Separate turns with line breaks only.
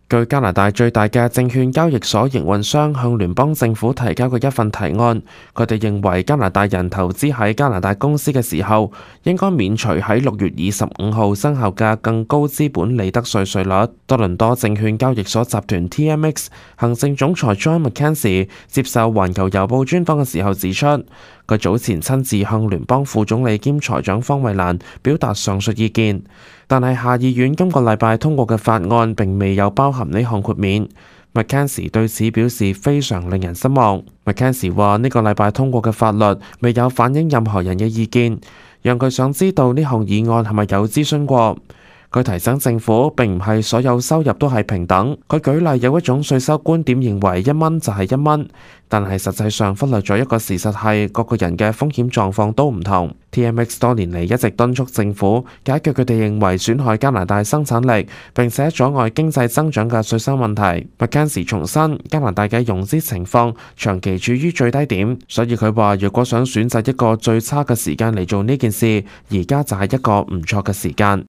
據加拿大最大嘅證券交易所營運商向聯邦政府提交嘅一份提案，佢哋認為加拿大人投資喺加拿大公司嘅時候，應該免除喺6月25號生效嘅更高資本利得稅稅率。多倫多證券交易所集團 TMX 行政總裁 John McKenzie 接受環球郵報專訪嘅時候指出，佢早前親自向聯邦副總理兼財長方慧蘭表達上述意見，但係下議院今個禮拜通過嘅法案並未有包含呢項豁免。McKenzie 對此表示非常令人失望。McKenzie 話呢個禮拜通過嘅法律未有反映任何人嘅意見，讓佢想知道呢項議案係咪有諮詢過。佢提醒政府並唔係所有收入都係平等。佢舉例有一種稅收觀點認為1蚊就係1蚊，但係實際上忽略咗一個事實係各個人嘅風險狀況都唔同。TMX 多年嚟一直敦促政府解決佢哋認為損害加拿大生產力並且阻礙經濟增長嘅稅收問題。McKenzie 重申加拿大嘅融資情況長期處於最低點，所以佢話如果想選擇一個最差嘅時間嚟做呢件事，而家就係一個唔錯嘅時間。